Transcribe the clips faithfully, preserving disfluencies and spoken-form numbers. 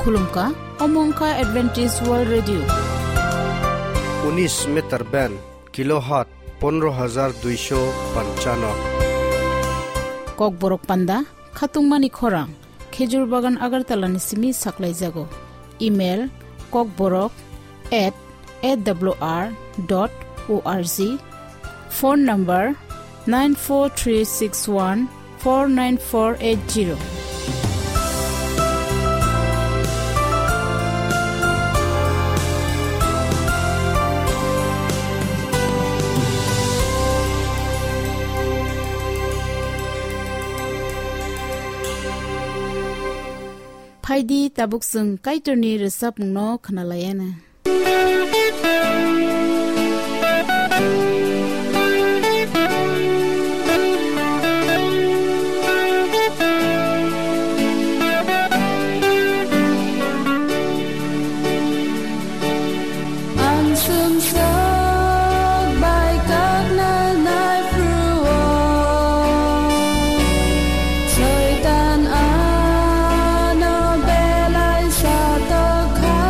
Khulumkha, omo wngkha Adventist World Radio. Unis meter band, kilohertz pondro hajar duisho panchano. Kokborok panda, khatungmani khorang, Khejur Bagan Agartala ni simi saklaijago. Email, kokborok at A W R dot O R G. Phone number nine four three six one four nine four eight zero. Phaidi tabuk chwng Kaitorni rwchapmungno khwnalaiana. Ang sumsok bai kakna nai phru-o. Soitan ano belai satokha.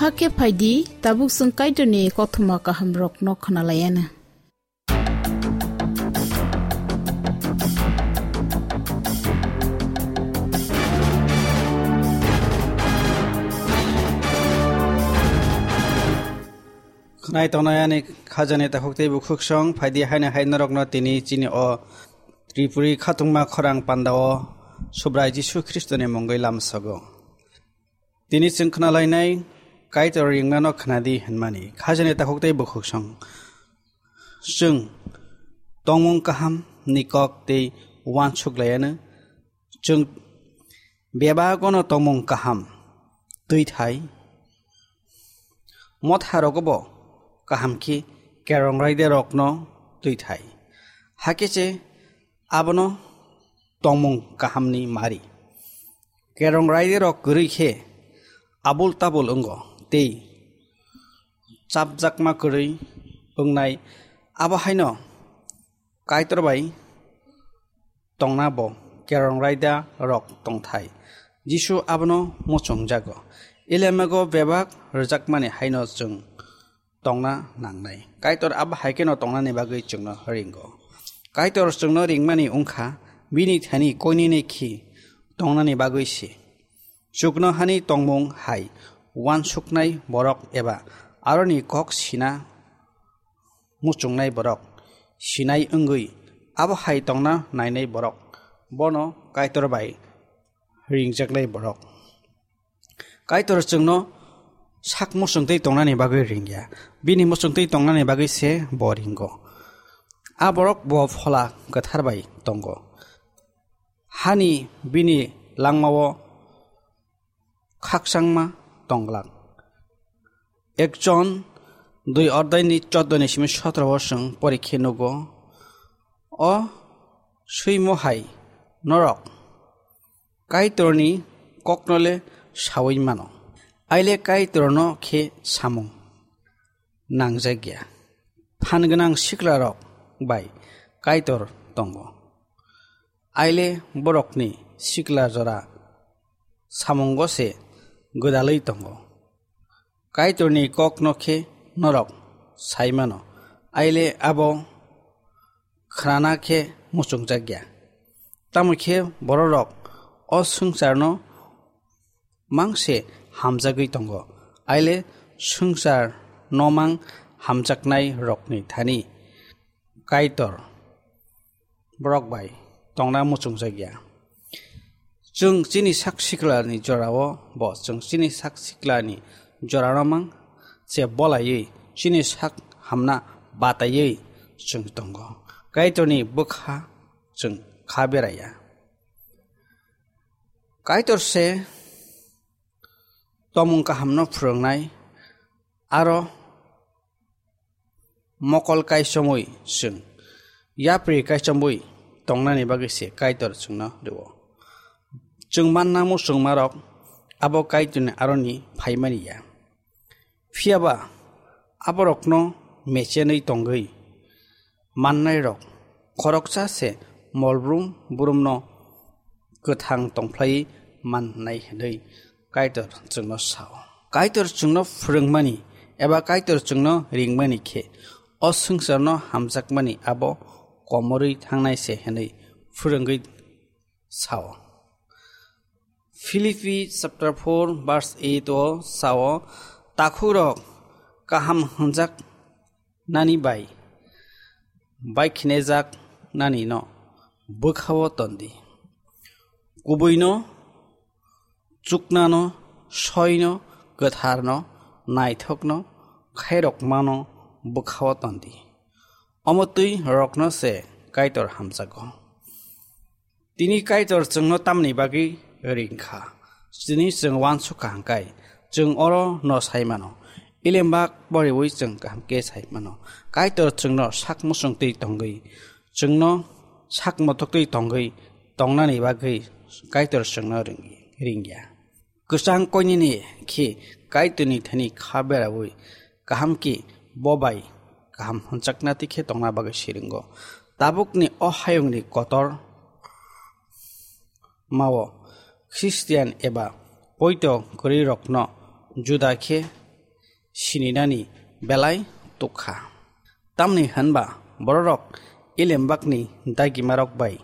Hakhe phaidi, tabuk chwng Kaitorni kothoma kahamrokno khwnalaianw. Khwnai tongnai ani khajani takhuk tei bukhuk song, phaidi haino hai norokno tini chini o Tripuri khatungma khorang pandao Subrai Jisu Khristoni mungwi lamsogo. Tini chwng khwnalainai Kaitor ringmano khwnadi hwnmani khajani takhuk tei bukhuk song. Chwng tongmung kaham ni kok tei uansuk laianw. Chwng bebagono tongmung kaham twi thai. Motha rogobo kaham khe kerong raida rokno twi thai. Hakhe se abono tongmung kahamni mari. Kerong raida rok kwrwi khe abul tabul wngo tei chapjakma kwrwi wngnai, abo haino Kaitor bai tongna bo kerong raida rok tongthai. Jisu abono muchungjago. Elemago bebak rwjakmani haino chwng tongna nangnai. Kaitor abo hai kheno tongnani bagwi chwngno ringo. Kaitor chwngno ringmani wngkha bini thani koinene khi tongnani bagwi se. Chuknohani tongmung hai uansuknai borok eba aroni kok sina muchungnai borok, sinai wngwi abo hai tongna nainai borok, bono Kaitor bai ringjaknai borok. Kaitor chwngno sak muchungtwi tongnani bagwi ringya, bini muchungtwi tongnani bagwi se bo ringo. A borok bo Phola Kwthar bai tongo. Hani bini langmao khakchangma tonglak. Ek Jon dui odai ni choddo ni simi sotro o chwng porikhe nugo. O swimo hai norok Kaitorni kokno le saui mano. Aile Kaitorno khe samung nangjakya. Phan gwnang siklarok bai Kaitor tongo. Aile borokni sikla jora samungo se gwdalwi tongo. Kaitorni kokno khe norok sai mano, aile abo khnana khe muchungjakya. Tamo khe bororok o swngcharno mang se hamjagwi tongo, aile swngcharno mang hamjaknai rokni thani Kaitor borok bai tongna muchungjakya. Chwng chini sak siklani jorao bo, chwng chini sak siklani jorano mang se bolaiwi chini sak hamna bataiwi chwng tongo. Kaitorni bwkha chwng kha beraya. Kaitor se tomung kahamno phwrwngnai, aro mokol kaichomwi chwng yapri kaichomwi tongnani bagwi se Kaitor chwngno rwo. Chwng manna muchungmarok abo Kaitorni aroni phaimani ya. Phiya ba aborokno mechenwi tongwi mannairok khoroksa se molbrum burumno kwthang tongphlaiwi mannai hwnwi Kaitor chwngno sao. Kaitor chwngno phwrwngmani eba Kaitor chwngno ringmani khe o swngcharno hamjakmani abo komorwi thangnai se hwnwi phwrwngwi sao. Philippi chapter four verse eight o sao, takhukrok kaham hwnjak nani bai baikhinejak nani no bwkhao tondi. Kubuino, chuknano, soino, kwtharno, naithokno, khairokmano bwkhao tondi. Omo twi rokno se Kaitor hamjago. Tini Kaitor chwngno tamni bagwi ring kha? Tini chwng uansuk kha hwnkhe, chwng oro no sai mano. Ilembak boriwi chwng kaham khe sai mano. Kaitor chwngno sak muchung twi tongwi, chwngno sak mothok twi tongwi tongnani bagwi Kaitor chwngno ring-, ringya. Kwchang koinini khe Kaitorni thani kha beraui kaham khe bo bai kaham hwnjakna twi khe tongna bagwi siringo. Tabukni o hayungni kotor mao Khristian eba poito kwrwirokno juda khe sininani belai tukha. Tamni hwnba bororok Elembakni dagimarok bai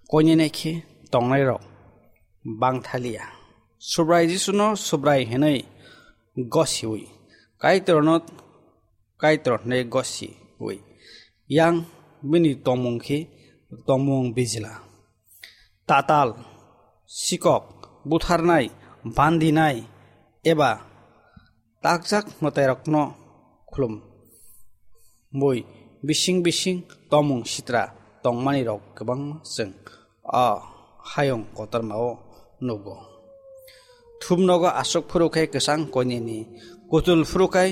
koinene khe tongnairok bangthaliya. Subrai Jisuno Subrai hwnwi gosiwi, Kaitorno Kaitor hwnwi gosiwi, yang bini tongmung khe tongmung bijla. Tatal, sikok, butharnai, bandinai, eba takjak mwtairokno khulum bui bising bising tongmung sitra tongmanirok kwbangma chwng o hayung kotormao nugo. Thumnogo aswk phuru khe kwchang koineni kutul phuru khai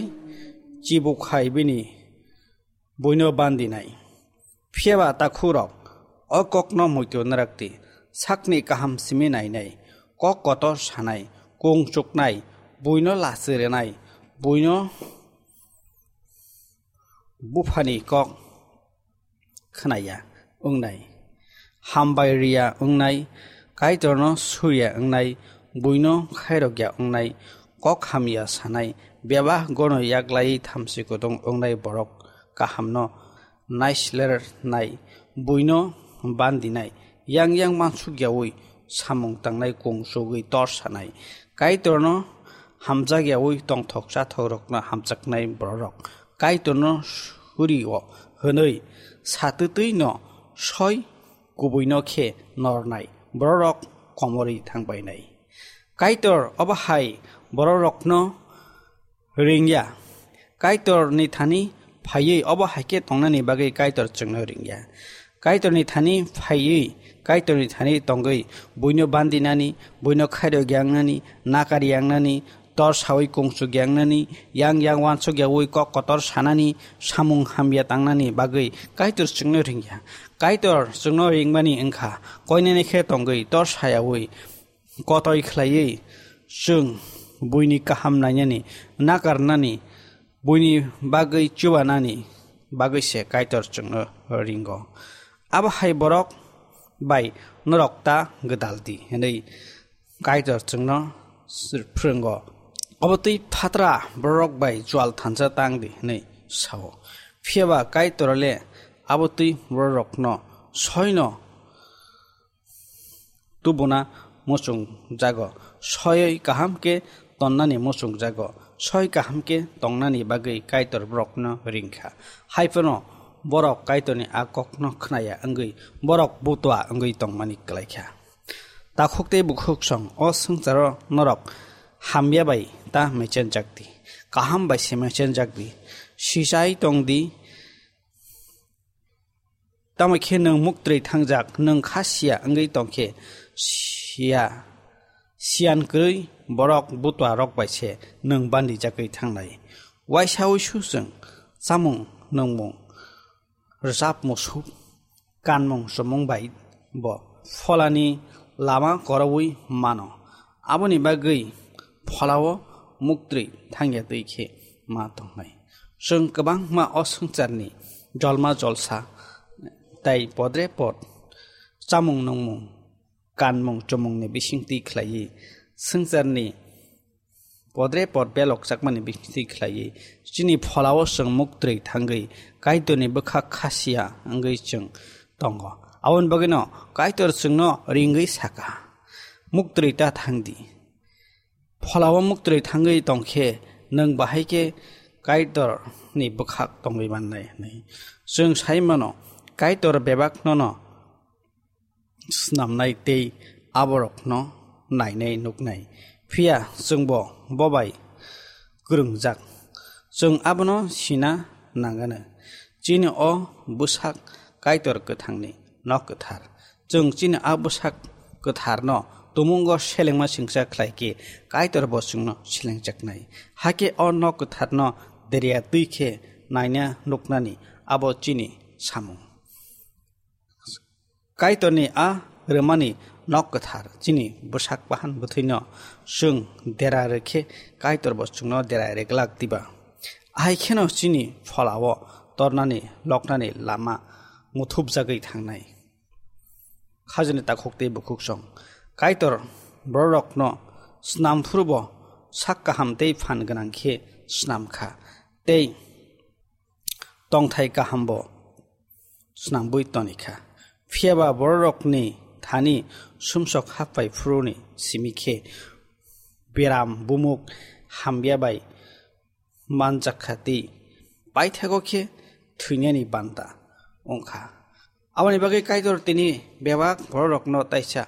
chibuk hai bini buino bandinai. Phiyaba takhukrok, o kokno muitu narakdi, sakni kaham simi nainai, kok kotor sanai, kung chuknai, buino lachi rwnai, buino buphani kok khnaya wngnai, hambai riya wngnai, Kaitorno surya wngnai, buino khairokya wngnai, kok hamya sanai, bebak gono yaklaiwi thamchi kutung wngnai borok kahamno naislernai, buino bandinai, yang yang mansukyawi samung tangnai kung chugwi tor sanai, Kaitorno hamjakyawi tongthok chathokrokno hamjaknai bororok, Kaitorno surio hwnwi satwtwino soi kubuino khe nornai bororok komorwi thangbainai. Kaitor obo hai bororokno ringya. Kaitorni thani phaiwi obo hai khe tongnani bagwi Kaitor chwngno ringya. Kaitorni thani phaiwi, Kaitorni thani tongwi buino bandinani, buino khairok yangnani, nakar yangnani, tor sawi kung chuk yangnani, yang yang wansuk yawi kok kotor sanani, samung hamya tangnani bagwi Kaitor chwngno ringya. Kaitor chwngno ringmani wngkha, koinene khe tongwi tor sayawi kotoi khlaiwi chwng buini kaham nainani, nakarnani, buini bagwi chubanani bagwi se Kaitor chwngno ringo. Abo hai borok bai norok ta gwdal di hwnwi Kaitor chwngno phwrwngo. Obo twi phatra bororok bai chual thansa tang di hwnwi sao. Phiyaba Kaitor le abo twi bororokno soino tubuna muchungjago, soiwi kaham khe tonnani muchungjago, soi kaham khe tongnani bagwi Kaitor borokno ringkha. Haiphano borok Kaitorni a kokno khnaya wngwi borok butua wngwi tongmani kwlaikha. Takhuk tei bukhuk song o swngcharo norok hamya bai ta mechenjakdi, kaham bai se mechenjakdi, sichai tongdi, tamo khe nwng muktwi thangjak, nwng kha sia wngwi tong khe sia, siyan kwrwi borok butua rok bai se nwng bandijagwi thangnai. Waisa uisu chwng chamung nungmung, rwchap musuk, kanmung chumung bai bo pholani lama koroui mano. Aboni bagwi pholao muktwi thangya twi khe ma tongnai. Chwng kwbangma o swngcharni jolma jolsa tei podre pod chamung nungmung, kanmung chumungni bisingtwi khlaiwi swngcharni podre pod belok chakmani bisingtwi khlaiwi chini pholao chwng muktwi thangwi Kaitorni bwkha khasia wngwi chwng tongo. Aboni bagwino Kaitor chwngno ringwi saka, "Muktwi ta thangdi." Pholao muktwi thangwi tongkhe nwng bahai khe Kaitorni bwkhak tongwi mannai hwnwi. Chwng sai mano, Kaitor bebak nono snamnai tei aborokno nainai nuknai. Phiya chwngbo bobai kwrwngjak. Chwng abono sina nangano. Chini o bwsak Kaitor kwthangni nok kwthar. Chwng chini a bwsak kwtharno tumungo selengma singsa khlai khe Kaitor bo chwngno selengjaknai. Hakhe o nok kwtharno derya twi khe naina nuknani abo chini samung. Kaitorni a rwmani nok kwthar chini bwsak bahan bwthwino chwng dera rwkhe Kaitor bo chwngno dera rwglak diba? Ahai kheno chini pholao tornani loknani lama muthupjagwi thangnai. Khajani takhuk tei bukhuk song. Kaitor bororokno snam phuru bo sak kaham tei phan gwnang khe snam kha, tei tongthai kahambo snambui toni kha. Phiya ba bororokni thani sumsok happai phuruni simi khe beram bumuk hamya bai manjak kha tei paithago khe thwinani banta wng kha. Aboni bagwi Kaitor tini bebak bororokno taisa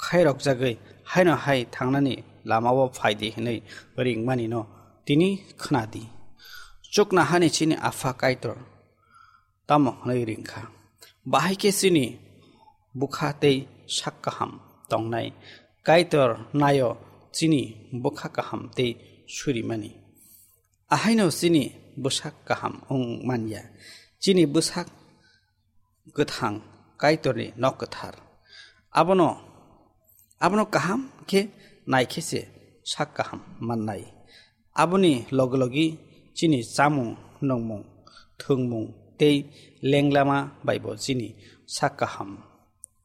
khairokjagwi haino hai thangnani lamao phaidi hwnwi ringmanino tini khna di. Chuknohani chini Apha Kaitor tamo hwnwi ring kha? Bahai khe chini bwkha tei sak kaham tongnai Kaitor naio chini bwkha kaham tei surimani. Ahaino chini bwsak kaham wng man ya. Chini bwsak kwthang Kaitorni nok kwthar. Abono, abono kaham khe nai khe se sak kaham mannai. Aboni logi logi chini chamung, nungmung, thwngmung tei lenglama baibo chini sak kaham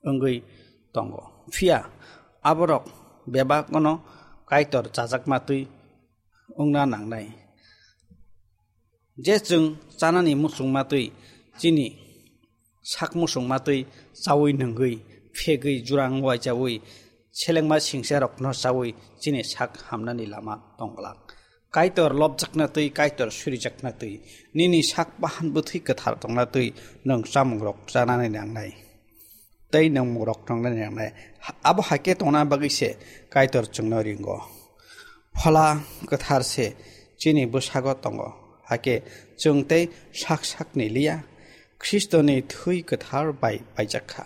wngwi tongo. Phiya aborok bebak'-ono Kaitor chajakma twi wngna nangnai. Je chwng chanani muchungma twi, chini sak muchungma twi chaui nungwi, phegwi, jurang uaichaui, selengma singsa rokno chaui chini sak hamnani lama tongglak. Kaitor lobjakna twi, Kaitor surijakna twi, nini sak bahan bwthwi kwthar tongna twi nwng chamungrok chanani nangnai. Tei nwng mungrok tongnani nangnai. Abo hai khe tongna bagwi se Kaitor chwngno ringo. Phola kwthar se chini bwsago tongo. Hakhe chwng tei sak sakni liya, Khristoni thwi kwthar bai paijak kha.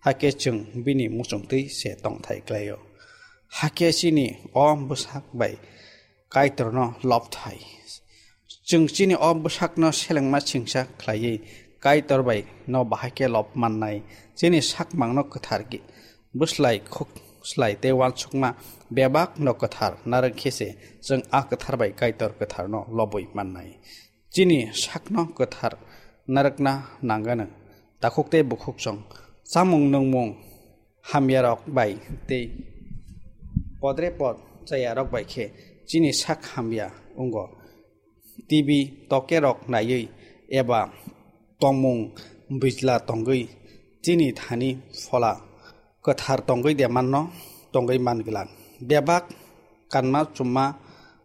Hakhe chwng bini muchungtwi se tongthai klaio. Hakhe chini o bwsak bai Kaitorno lobthai. Chwng chini o bwsakno selengma singsa khlaiwi Kaitor bai no bahai khe lob mannai. Chini sakmangno kwthar ki-, bwslai khuk slai tei uansukma bebak no kwthar narwk khe se chwng a kwthar bai Kaitor kwtharno lobwi mannai. Chini sakno kwthar narwkna nangano takhuk tei bukhuk chwng chamung nungmung hamyarok bai tei podre pod chayarok bai khe chini sak hamya wngo. T V tokerok naiwi eba tongmung bijla tongwi chini thani phola kwthar tongwi de manno tongwi man glak. Bebak kanma chumma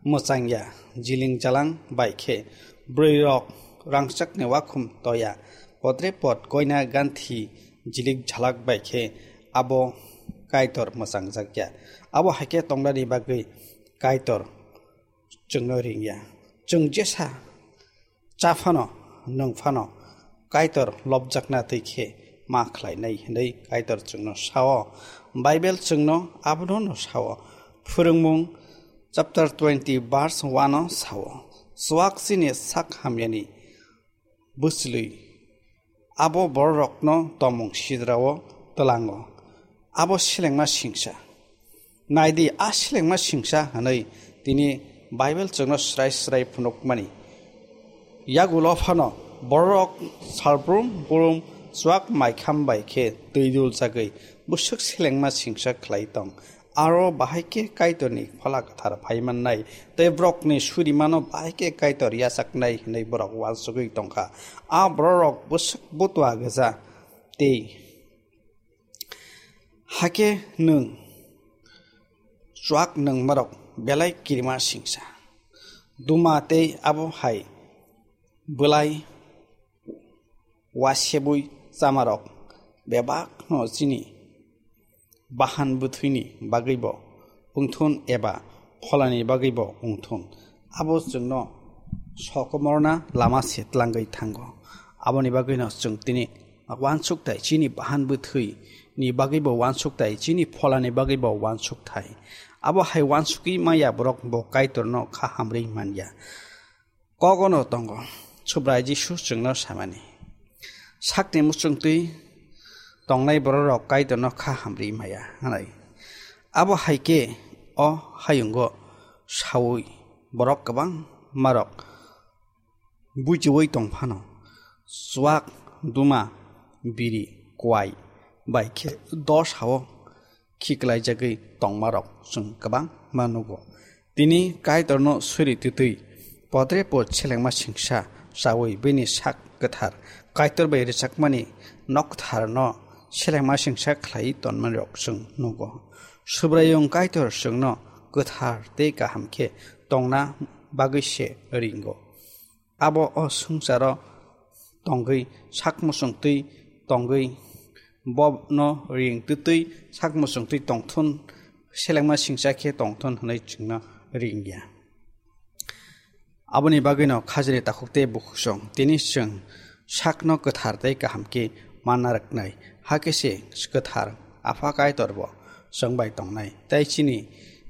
mwchangya jiling jalang bai khe bwrwirok rangchakni wakhum toya podre pod koina ganthi jilik jhalak bai khe abo Kaitor mwchangjakya. Abo hai khe tongnani bagwi Kaitor chwngno ringya. Chwng jesa cha phano, nwng phano Kaitor lobjakna twi khe ma khlainai hwnwi Kaitor chwngno sao. Bible chwngno abono no sao. Phwrwngmung chapter twenty verse one o sao, "Chuak chini sak hamyani bwchlwi, abo bororokno tomung sidrao twlango." Abo selengma singsa. Naidi, a selengma singsa hwnwi tini Bible chwngno srai srai phunukmani. Yagulo phano bororok salbrum brum chuak maikham bai khe twi dul chagwi bwswk selengma singsa khlai tong. Aro bahai khe Kaitorni Phola Kwthar phai mannai tei borokni surimano bahai khe Kaitor yachaknai hwnwi borok uansugwi tongkha. A bororok bwswk butua gwja tei hakhe nwng chuak nungmarok belai kirima singsa. Duma tei abo hai bwlai wasebwi chamarok bebakno chini bahan bwthwini bagwibo wngthun eba pholani bagwibo wngthun, abo chwngno sokomorna lama se tlangwi thango. Aboni bagwino chwng tini uansukthai chini bahan bwthwini bagwibo uansukthai, chini pholani bagwibo uansukthai. Abo hai uansugwi maya borok bo Kaitorno kha hamrwi manya. Kogono tongo, Subrai Jisu chwngno samani, sakni muchungtwi tongnai bororok Kaitorno kha hamrwi maya, hwnwi. Abo hai khe o hayungo saui borok kwbangmarok buichiui tong phano, chuak, duma, biri, kuai bai khe dosao khiklaijagwi tongmarok chwng kwbangma nugo. Tini Kaitorno suri twtwi Podrepot selengma singsa chawi bini sak kwthar Kaitor bai rwchapmani nok kwtharno selengma singsa khlaiwi tonmani rok chwng nugo. Subraiyung Kaitor chwngno kwthar tei kaham khe tongna bagwi se ringo. Abo o swngcharo tongwi sak muchungtwi tongwi bono ring twtwi sak muchungtwi tongthun, selengma singsa khe tongthun hwnwi chwngno ringya. Aboni bagwino khajini takhuk tei bukhuk song tini chwng sakno kwthar tei kaham khe manna rwknai, hakhe se kwthar Apha Kaitor bo chwng bai tongnai tei chini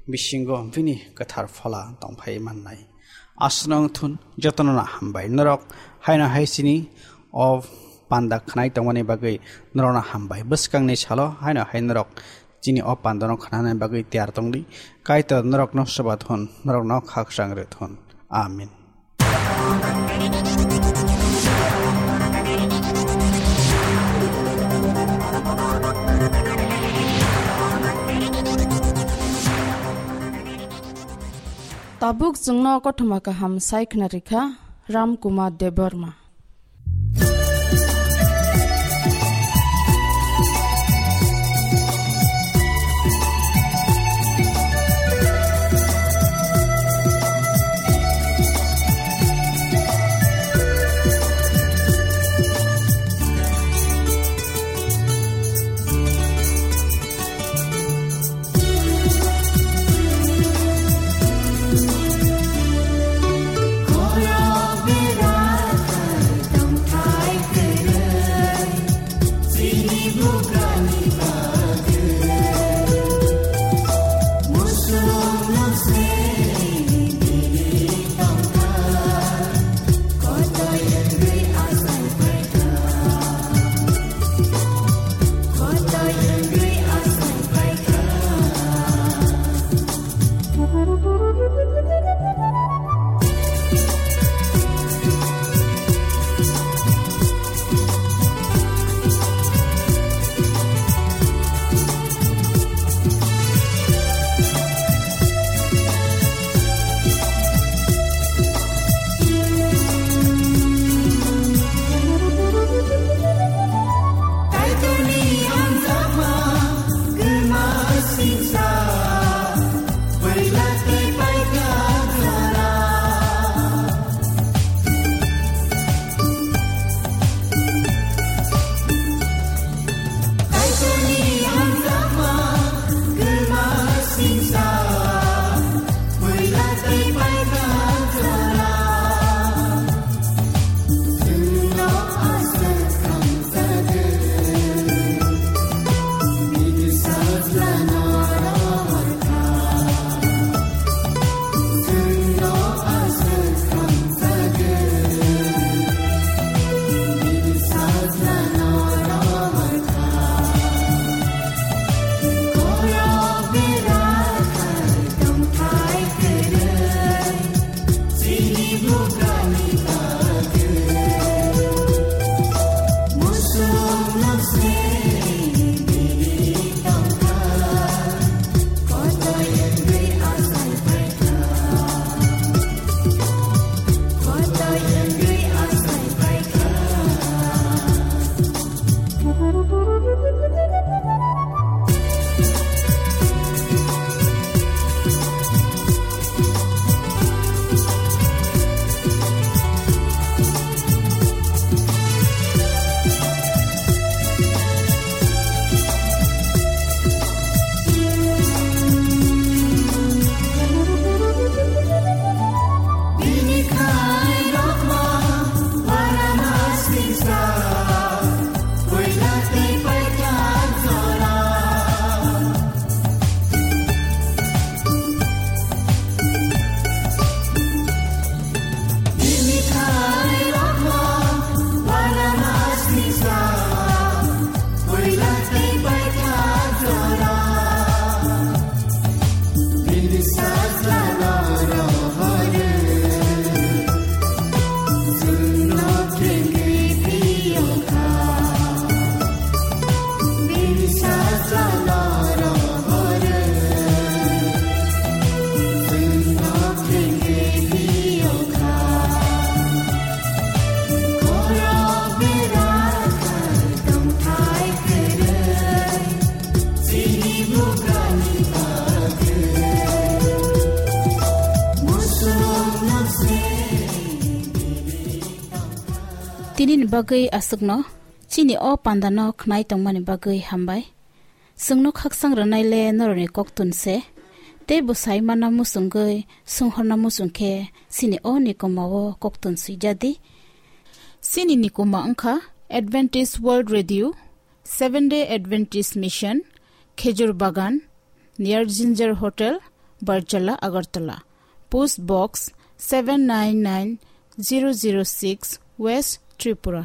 bisingo bini kwthar phola tongphai mannai. Aswk no wngthun jotono no hambai. Norok haino hai chini o panda khwnai tongmani bagwi norokno hambai. Bwskangni salo haino hai norok chini o pandano khnanani bagwi tiyar tongdi. Kaitor norokno swbathun, norokno khakchang rwthun. Amen. Tabuk chwngno kothoma kaham sai khna rikha Ram Kumar Debbarma. Nini bagwi aswkno chini o pandano khnai tongmani bagwi hambai. Chwngno khakchang rwnaile norokni koktun se. Tei bwsai mana muchungwi swnghorna muchung khe chini o nikoma o koktun swijadi. Chini nikoma wngkha Adventist World Radio, Seventh Day Adventist Mission, Khejur Bagan, near Ginger Hotel, Barjala, Agartala. Post Box seven nine nine zero zero six, West Tripura.